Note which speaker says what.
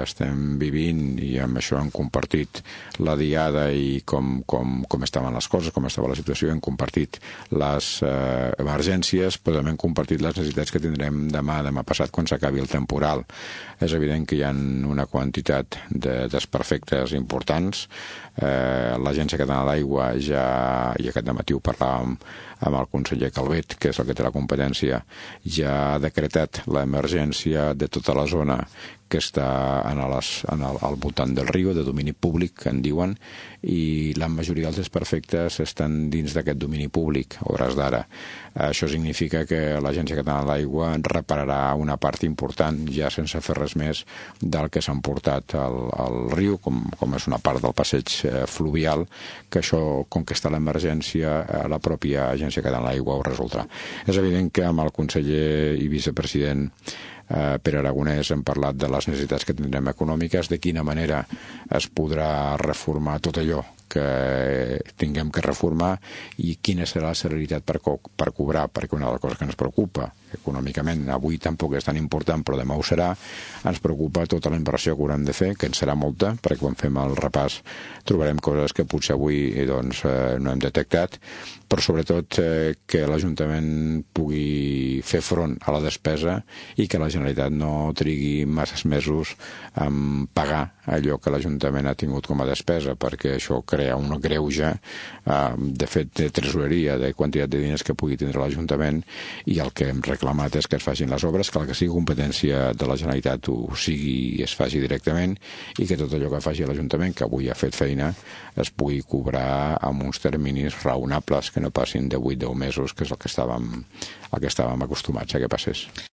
Speaker 1: estem vivint, i amb això hem compartit la diada i com estaven les coses, com estava la situació, hem compartit les emergències, però també hem compartit les necessitats que tindrem demà passat, quan s'acabi el temporal. És evident que hi ha una quantitat de desperfectes importants. L'Agència Catalana de l'Aigua ja, i aquest dematí ho parlàvem amb el conseller Calvet, que és el que té la competència, ja ha decretat l'emergència de tota la zona que està al voltant del riu, de domini públic, que en diuen, i la majoria dels desperfectes estan dins d'aquest domini públic, a hores d'ara. Això significa que l'Agència Catalana de l'Aigua repararà una part important, ja sense fer res més, del que s'ha emportat al riu, com és una part del passeig fluvial, que això, com que està l'emergència, la pròpia Agència Catalana de l'Aigua ho resoldrà. És evident que amb el conseller i vicepresident Pere Aragonès hem parlat de les necessitats que tindrem econòmiques, de quina manera es podrà reformar tot allò que tinguem que reformar i quina serà la celeritat per cobrar, perquè una de les coses que ens preocupa econòmicament, avui tampoc és tan important, però demà ho serà, ens preocupa tota la inversió que haurem de fer, que en serà molta, perquè quan fem el repàs trobarem coses que potser avui no hem detectat, però sobretot que l'Ajuntament pugui fer front a la despesa i que la Generalitat no trigui masses mesos en pagar allò que l'Ajuntament ha tingut com a despesa, perquè això crea un greuge, de fet, de tresoreria, de quantitat de diners que pugui tindre l'Ajuntament, i el que hem reclamat és que es facin les obres, que el que sigui competència de la Generalitat ho sigui i es faci directament, i que tot allò que faci l'Ajuntament, que avui ha fet feina, es pugui cobrar amb uns terminis raonables, que no passin de 8-10 mesos, que és el que estàvem acostumats a que passés.